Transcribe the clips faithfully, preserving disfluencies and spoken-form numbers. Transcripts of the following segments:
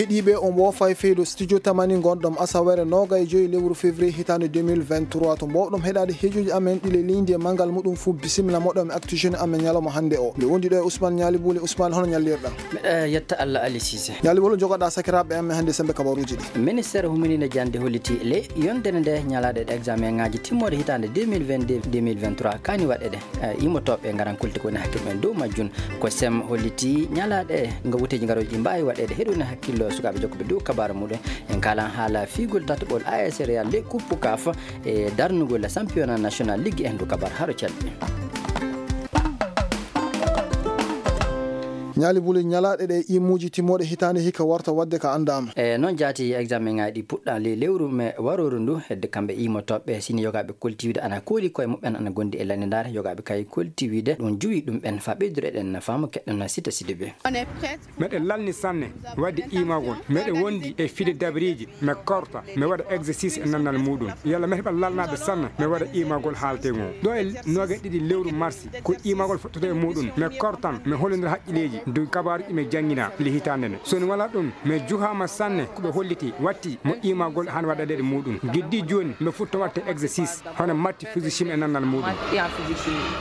Heɗiiɓe, on woofa e feydo studio Tamani ngonɗon asawere noogay e joyi lewru février hitaande deux mille vingt-trois. To mboowɗon heɗaade heejoji amen ɗi le ligne de manngal muɗum fuu, bisimilla moɗon e Actu Jeune amen ñalawma hannde o. Mbiɗo wondi ɗo e Ousmane Ñaali Buuli. Ousmane, hono ñallirɗaa? Mbiɗa yetta Allah, Ali Cissé. Ñaali Buuli, jogoɗaa sakiraaɓe amen hannde semmbe kabaaruuji ɗi. Ministeer huminiinde jannde holliti le yontere nde ñalaaɗe ɗe examen ŋaaji timmorde hitaande deux mille vingt-deux, deux mille vingt-trois kaani waɗeede. Eh, immotooɓe ngaran kulti ko woni hakkille men dow majjum. Ko sem holliti ñalaaɗe ngo wuteeji ngarooji ɗi mbaawi waɗeede heɗude hakkillo sukaaɓe jokkuɓe dow kabaaru muɗum. En kaalan haala fiigol tataɓol A S Real le Coupe CAF e darnugol championnat national ligue en dow kabaaru haro calɗi. Ñaali Buuli, ñalaaɗe ɗe imuuji timmooɗe hitaande hikka warta waɗde ka anndaama. E noon jaati examen ŋaaji ɗi puɗɗaa le lewru me warooru ndu hedde kamɓe immotooɓe sini yogaaɓe kolti wiide ana kooli koye muɓɓen ana gondi e lannde ndaare yogaaɓe kay kolti wiide ɗum juwi ɗum ɓen fa ɓeydude eɗen faamu keɗɗen sita sidi ɓe. Meɗen lalni sanne wadde iimagol. Meɗen wondi e fide dabreeji, mi korta, mi waɗa exercice e nannal muɗum. Yalla mi heɓa lalnaade sanne, mi waɗa iimagol haalte ngo. Ɗo e noogaye ɗiɗi lewru marsi, ko iimagol fottata e muɗum. Mi kortan, mi hollondira haqqilleeji, dow kabaaruuji mi janngina le hitaande nde. So mi walaa ɗum, mi juhaama sanne, ko ɓe holliti, watti mo iimagol hano waɗa ɗeɗe muɗum. Giddi jooni, mi futto waɗte exercice, hono matti physique e nannal muɗum.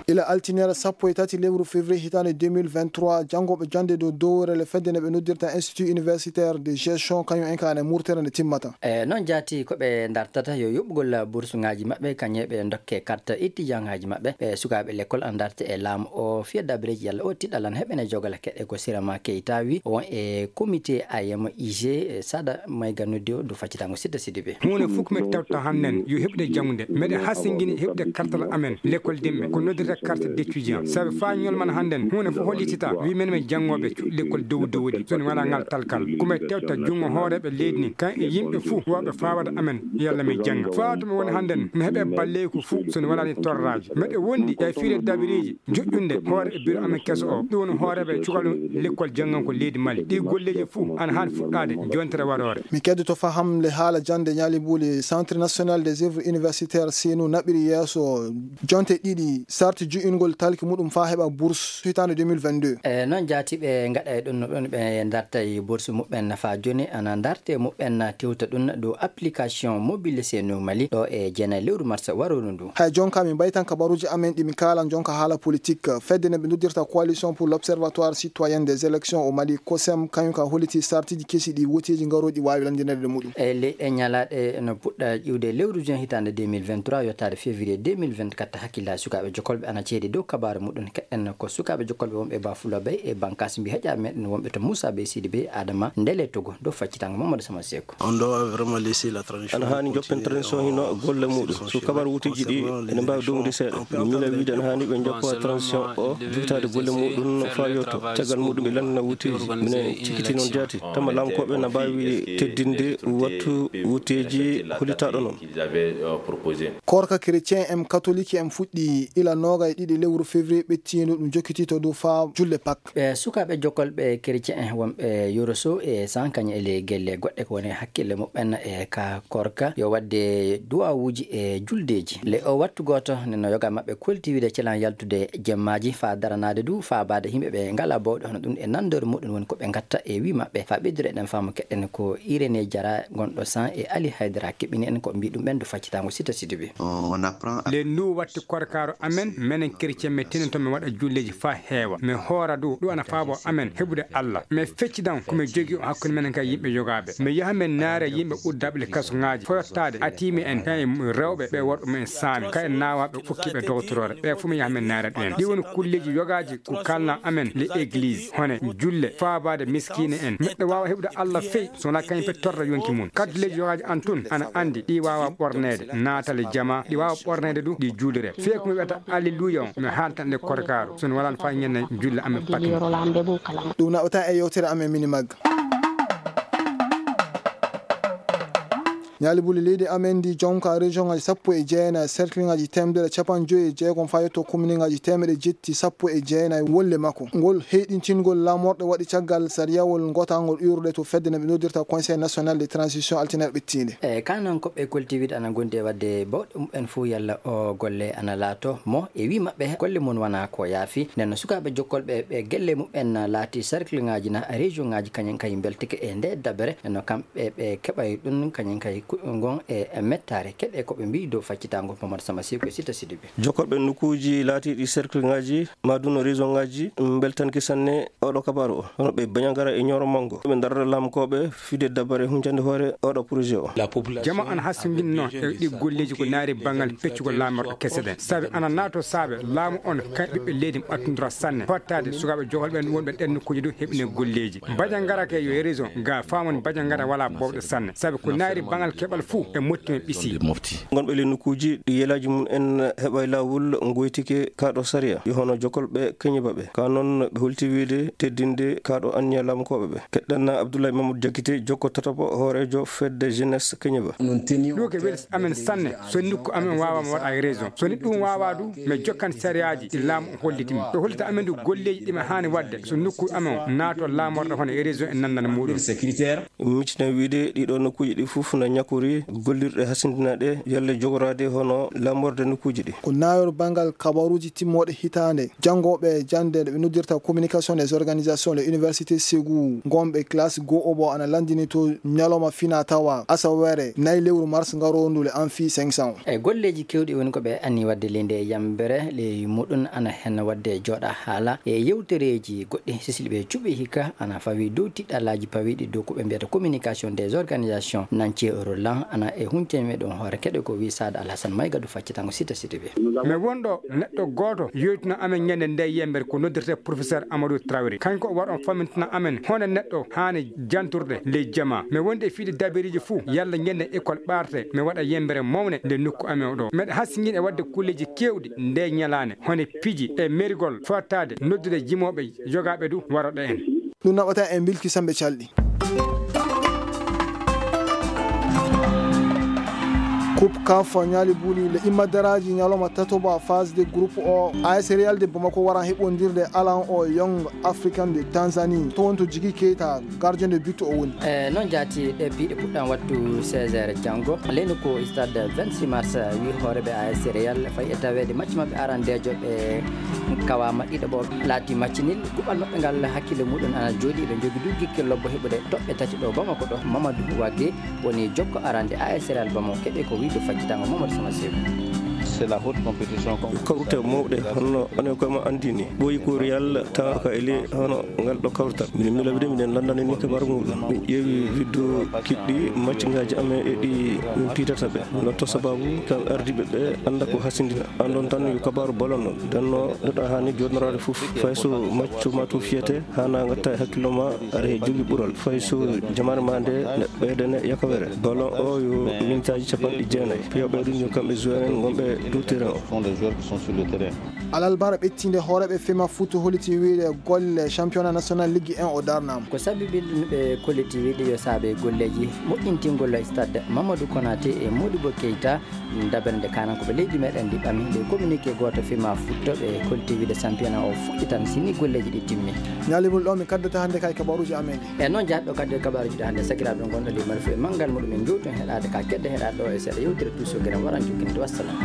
Ila altiniere sappo e tati lewru février hitaande deux mille vingt-trois, janngooɓe jannde dow dowrele fedde nde ɓe noddirta Institut Universitaire de Gestion, kañum en ka ene murtere nde timmata. E noon jaati ko ɓe dartata yo yoɓugol bursuŋaaji maɓɓe, kañum e ɓe ndokke carte étudiantŋaaji maɓɓe. Ɓe sukaaɓe l'école ana darte e laamu o fiya dabreeji yalla o tiɗɗalan heɓene jogala keɗe ko Sirama Keita wi on e comité A M I G, e Sada Mayga noddi o dow faccitango Sidda Sidibé. Huunde fof ko men tawta hannden yo heɓde janngude. Meɗen hasingini heɓde kartal amen l'école dimɓe ko noddirta carte d'étudiant. Sabi faa ñolman hannden huunde fof hollitita wi men men janngooɓe cuuɗi l'école dow dow ɗi. So en walaa ngal talkal ko men tewta junngo hooreeɓe leydi ndi kan e yimɓe fof wawɓe faawade amen yalla mi jannga. Faa to mi woni hannden mi heɓe balleeku fof so en walaa ni torraaji. Meɗe wondi e fiire dabireeji joƴƴunde hoore e biro amen keso o. Ɗum woni hooreeɓe cukalon l'école jannganko leydi Mali. Ɗi golleeji fof ana haani fuɗɗaade jontere waroore. Mi keddoto faham le haala jannde ñaali buuli Centre National des Œuvres Universitaires sinu naɓiri yeeso jonte ɗiɗi sarti ju'ingol talki muɗum faa heɓa bourse hitaande deux mille vingt-deux. E noon jaati ɓe ngaɗa e ɗum no ɗon ɓe darta e bourse muɓɓen nafa jooni ana darte muɓɓen tewta ɗum dow application mobile senu Mali ɗo e jeenayi lewru mars waroru ndu. Hay jonka mi mbaytan kabaruuji amen ɗi mi kaalan jonka haala politique. Fedde nde ɓe noddirta Coalition pour l'Observatoire Citoyen des Élections au Mali, COSEM, kañum ka holliti sartiji kesi ɗi woteeji ngarooɗi waawi lanndineede muɗum. E leyɗe ñalaaɗe no puɗɗa ƴiwde lewru juin hitaande deux mille vingt-trois yottaade février deux mille vingt-quatre hakkillaaji sukaaɓe jokolɓe ana ceedi dow kabaaru muɗum. Keɗen ko sukaaɓe jokolɓe wonɓe Bafulabey e Bankas mbi heƴa meɗen wonɓe to Moussa Bey Sidi Bey Adama Ndele Togo dow faccitango Mamadou Sama Seeku. On doit vraiment laisser la transition. Ana haani joppen transition hino golle muɗum. So kabar wutuji ɗi ene mbaawi domude seeɗa. Mi miila wiide ana haani ɓe joppa transition o jibitaade golle muɗum no faa yotto. Caggal muɗum ɓe lanndina wutuji. Minen cikiti noon jaati. Tama lamkooɓe na mbaawi teddinde wattu wuteeji hollitaaɗo noon. Korka chrétien en catholique en fuɗɗi ila nooga e ɗiɗi lewru février ɓettiindu ɗum jokkiti to dow faa julle Pâques. Ɓe sukaaɓe jokolɓe chrétien en wonɓe Yoroso e Sankañ e le gelle goɗɗe ko woni hakkille muɓɓen e ka korka yo waɗde duwawuuji e juldeeji. Le o wattu gooto nde no yoga maɓɓe kolti wiide celan yaltude jemmaaji faa daranaade du faa baade yimɓe ɓe ngalaa bawɗe hono ɗum e nanndore muɗum woni ko ɓe ngatta e wii maɓɓe faa ɓeydude eɗen faamu keɗen ko Irénée Diarra gonɗo San e Ali Haydara keɓɓini en ko mbii ɗum ɓen du faccitango Sita Sidibe. On apprend. Le ndu watti korkaaru amen menen chrétien mi tinanto mi waɗa julleeji faa heewa mi hoora dow ɗum ana faabo amen heɓude Allah mi feccidan ko mi jogii o hakkunde menen kay yimɓe yogaaɓe mi yaha min naare yimɓe uddaaɓe le kasungaaji foyottaade atiimi en kay rewɓe ɓe worɓe mumen saami kay naawaaɓe fukkiiɓe dogotoroore ɓe fof mi yaha min naare ɗum en ɗi woni kulleeji yogaaji ko kalna amen le église hone julle faabaade miskiine en neɗɗo waawa heɓude Allah fey so wonaa kañum pe torra yonki mum kadduleeji yogaaji an tun ana anndi ɗi waawa ɓorneede naatale jama ɗi waawa ɓorneede du ɗi juulire fii ko mi wiyata alleluya on mi haaltan nde korkaaru so mi walaano faa ñande julle amen pakni. Ɗum naɓata e yewtere amen mini magga. Ñaali buli leydi amen ndi jonka région ngaji sappo e jeenayi, cercle ngaji temedere capanɗe joyi e jeegom faa yetto commune ngaji teemeɗe jetti sappo e jeenayi wolle makko. Ngol heyɗintingol laamorɗe waɗi caggal sariyawol ngotangol iwrude to fedde nde ɓe noddirta Conseil National de Transition altine ɓettiinde. E kanankoɓe koltiiɗe ana ngondi e waɗde bawɗe mumen fof yalla o golle ana laato mo e wi maɓɓe golle mum wona ko yaafi. Nden no sukaaɓe jokkolɓe ɓe gelle mumen laati cercle ngaji na région ngaji kañum kay mbeltike e nde dabere no kamɓe ɓe keɓay ɗum kañum kay ku- ngon e mettare keɗe ko ɓe mbi dow faccitangol Mamadou Sama Siko e Sita Sidibé. Jokkolɓe nokkuuji laatiiɗi cercle ngaji ma duno région ngaji mbeltanki sanne oɗo kabaru o hono ɓe bañangara e ñooro mango ɓe darata lamkooɓe fide dabare huncande hoore oɗo projet o. Jama ana hasindinno e ɗi golleeji ko naari banngal peccugol laamorɗe kese ɗen. Sabi ana naato saabe laamu on kay ɓiɓɓe leydi ɓattundura sanne. Hottaade sukaaɓe jokol ɓen wonɓe ɗen nokkuuji ɗum heɓine golleeji. Bajangara ke yo e région ga faamon bajangara wala bowɗe sanne. Sabi ko naari banngal keɓal fuu e motti men ɓisi. Gonɓe le nokkuuji ɗi yelaaji mum en heɓa e laawol ngoytike kaaɗo sariya yo hono jokol ɓe keñiba ɓe. Ka noon ɓe holti wiide teddinde kaaɗo anniya laamkooɓe ɓe. Keɗɗen Abdoulaye Mamadou Diakité, jokko tataɓo hooreejo fedde jeunesse keñiba. Ɗum ko weli amen sanne, so nokku amen waawama waɗa e région. So ni ɗum waawa du, mi jokkan sariyaaji ɗi laamu holliti mi. Ɓe hollita amen du golleeji ɗi mi haani waɗde, so nokku amen naato laamorɗo hono e région e nandana muɗum. Micina wiide ɗiɗo nokkuuji ɗi fof na ñakori gollirɗe hasindinaɗe yalle jogoraade hono laamorde nokkuuji ɗi. Ko naayol banngal kabaruuji timmooɗe hitaande, janngooɓe jannde nde ɓe noddirta communication des organisations, les universités Ségou, ngonɓe classe goo obo ana lanndini to ñalawma fina tawa asawere nayi lewru mars ngaroondu le an fii cinq cents. E golleeji keewɗi woni ko ɓe anni waɗde leydi e yambere ley muɗum ana hen waɗde jooɗa haala e yewtereeji goɗɗi sisili ɓe cuɓi hikka ana fawi dow tiɗɗalaaji pawiiɗi dow ko ɓe mbiyata communication des organisations nance eurolan ana e huncen meɗen hoore keɗe ko wi Saada Alhasan Mayga ɗo faccitango Sita Sita ɓe. Mi wonɗo neɗɗo gooto yoytuno amen ñande nde yembere ko noddirte professeur Amadou Traoré. Kanko o waɗon famintina amen hono neɗɗo haani janturde ley jama. Mi wonde e fiide dabiriiji fuu yalla ñande école ɓaarte mi waɗa yembere mawne nde nokku amen o ɗo. Meɗa hasingin e waɗde kulleeji keewɗi nde ñalaande hono piji e merigol fottaade noddude jimooɓe jogaaɓe du waroɗo en. Ɗum naɓata en bilki samɓe calɗi. Coupe caf ñaali buli le immadaraaji ñalawma tatoba phase de groupe o. A S Real de Bamako waran heɓondirde alan o Young African de Tanzanie to wonto Jigi Keita gardien de but o woni. E noon jaati ɗe piiɗe puɗɗan wattu seize heures janngo leydi ko stade vingt-six mars wi hooreɓe A S Real fayi e taweede match maɓɓe arandeejo ɓe kawama ɗiɗo ɓo laati match nil. Kuɓal maɓɓe ngal hakkille muɗum ana jooɗi ɓe jogi du gikke lobbo heɓude toɓɓe tati ɗo Bamako ɗo. Mamadou Wage woni jokko arande A S Real Bamako keɓe ko wiide faccitango Mamadou Sama Seku. C'est la haute compétition. Kawrute mawɗe honno onon koye ma anndini ɓooyi ko Real tawaka eli hono ngal ɗo kawrtal. Min milawide miɗen lanndani ni kabaru muɗum. Min ƴeewi vidéo kiɗɗi match ngaji amen e ɗi min piitata ɓe. No to sababu tan ardiɓe ɓe annda ko hasindina. Anndon tan yo kabaru ballon noon. Denno neɗɗo haani jooɗnoraade fof. Fay so macco ma to fiyete, haana ngatta e hakkillo ma aɗa he jogi ɓural. Fay so jamaane ma nde ne ɓeydane yakawere. Ballon o yo mintaaji capanɗe jeenayi. Piyooɓe ɗum yo kamɓe joueur en ngonɓe dow terrain o. Ce sont les joueurs qui sont sur le terrain. Alarba ɓettiinde hooreeɓe fema foot holliti wiide golle championnat national Ligue un o darnaama. Ko sababi ɗum ɓe kolliti wiide yo saabe golleeji moƴƴintingol stade Mamadou Konaté e Modibo Keita. Dabere nde kanankoɓe leydi meɗen ndi ɓami nde communiqué gooto fima futtoɓe kolti wiide championnat o fuɗɗitan sini golleeji ɗi timmi. Ñaali mum ɗo min kaddata hannde kay kabaruuji amen ɗi. E noon jahatɗo kadde kabaruuji ɗi hannde sakiraaɓe gonɗo ley mari fof e manngal muɗum min jowti on heɗaade ka kedde heɗaade ɗo e seeɗa yewtere tuuso gere waran jokkinde wassalam.